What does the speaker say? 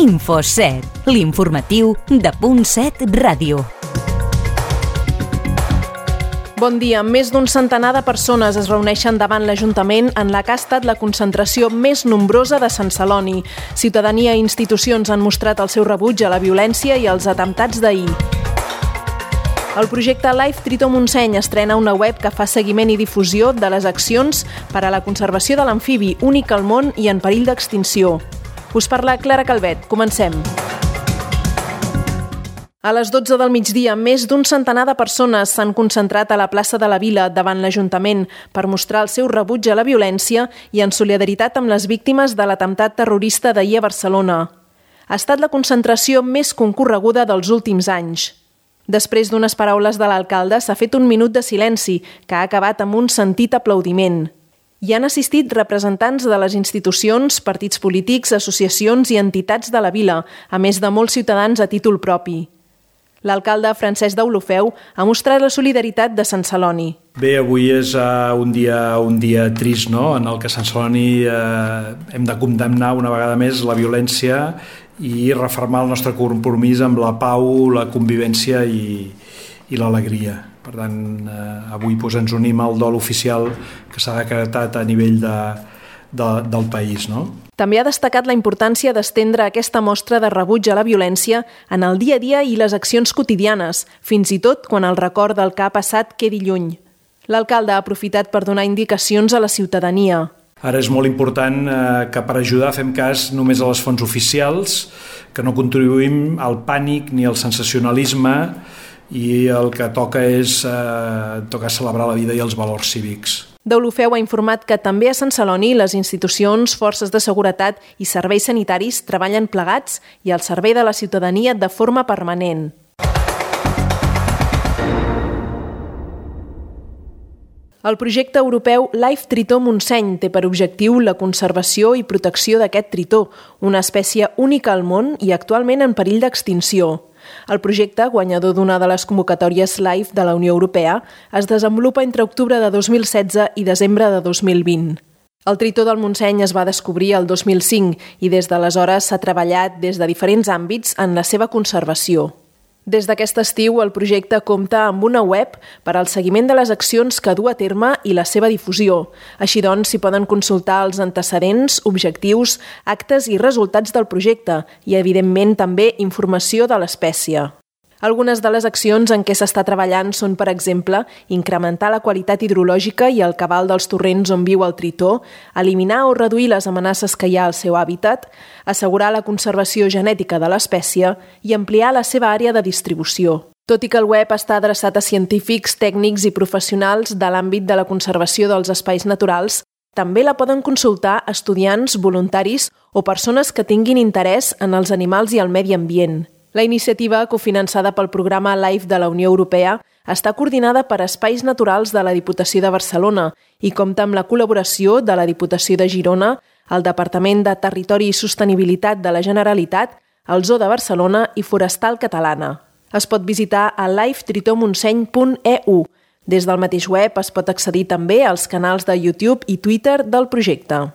Info7, l'informatiu de Punt7 Ràdio. Bon dia. Més d'un centenar de persones es reuneixen davant l'Ajuntament en la que ha estat la concentració més nombrosa de Sant Celoni. Ciutadania i institucions han mostrat el seu rebuig a la violència i als atemptats d'ahir. El projecte Life Tritó Montseny estrena una web que fa seguiment i difusió de les accions per a la conservació de l'amfibi, únic al món i en perill d'extinció. Us parla Clara Calvet. Comencem. A les 12 del migdia, més d'un centenar de persones s'han concentrat a la plaça de la Vila davant l'Ajuntament per mostrar el seu rebuig a la violència i en solidaritat amb les víctimes de l'atemptat terrorista d'ahir a Barcelona. Ha estat la concentració més concorreguda dels últims anys. Després d'unes paraules de l'alcalde, s'ha fet un minut de silenci, que ha acabat amb un sentit aplaudiment. Hi han assistit representants de les institucions, partits polítics, associacions i entitats de la vila, a més de molts ciutadans a títol propi. L'alcalde Francesc Deulofeu ha mostrat la solidaritat de Sant Celoni. Bé, avui és un dia trist, no?, en el que a Sant Celoni hem de condemnar una vegada més la violència i refermar el nostre compromís amb la pau, la convivència i l'alegria. Per tant, avui ens unim al dol oficial que s'ha decretat a nivell del país, no? També ha destacat la importància d'estendre aquesta mostra de rebuig a la violència en el dia a dia i les accions quotidianes, fins i tot quan el record del que ha passat quedi lluny. L'alcalde ha aprofitat per donar indicacions a la ciutadania. Ara és molt important que per ajudar fem cas només a les fonts oficials, que no contribuïm al pànic ni al sensacionalisme i el que toca és celebrar la vida i els valors cívics. Deulofeu ha informat que també a Sant Celoni les institucions, forces de seguretat i serveis sanitaris treballen plegats i al servei de la ciutadania de forma permanent. El projecte europeu Life Tritó Montseny té per objectiu la conservació i protecció d'aquest tritó, una espècie única al món i actualment en perill d'extinció. El projecte, guanyador d'una de les convocatòries Life de la Unió Europea, es desenvolupa entre octubre de 2016 i desembre de 2020. El tritó del Montseny es va descobrir el 2005 i des d'aleshores s'ha treballat des de diferents àmbits en la seva conservació. Des d'aquest estiu, el projecte compta amb una web per al seguiment de les accions que du a terme i la seva difusió. Així doncs, s'hi poden consultar els antecedents, objectius, actes i resultats del projecte i, evidentment, també informació de l'espècie. Algunes de les accions en què s'està treballant són, per exemple, incrementar la qualitat hidrològica i el cabal dels torrents on viu el tritó, eliminar o reduir les amenaces que hi ha al seu hàbitat, assegurar la conservació genètica de l'espècie i ampliar la seva àrea de distribució. Tot i que el web està adreçat a científics, tècnics i professionals de l'àmbit de la conservació dels espais naturals, també la poden consultar estudiants, voluntaris o persones que tinguin interès en els animals i el medi ambient. La iniciativa, cofinançada pel programa Life de la Unió Europea, està coordinada per Espais Naturals de la Diputació de Barcelona i compta amb la col·laboració de la Diputació de Girona, el Departament de Territori i Sostenibilitat de la Generalitat, el Zoo de Barcelona i Forestal Catalana. Es pot visitar a lifetritomonseny.eu. Des del mateix web es pot accedir també als canals de YouTube i Twitter del projecte.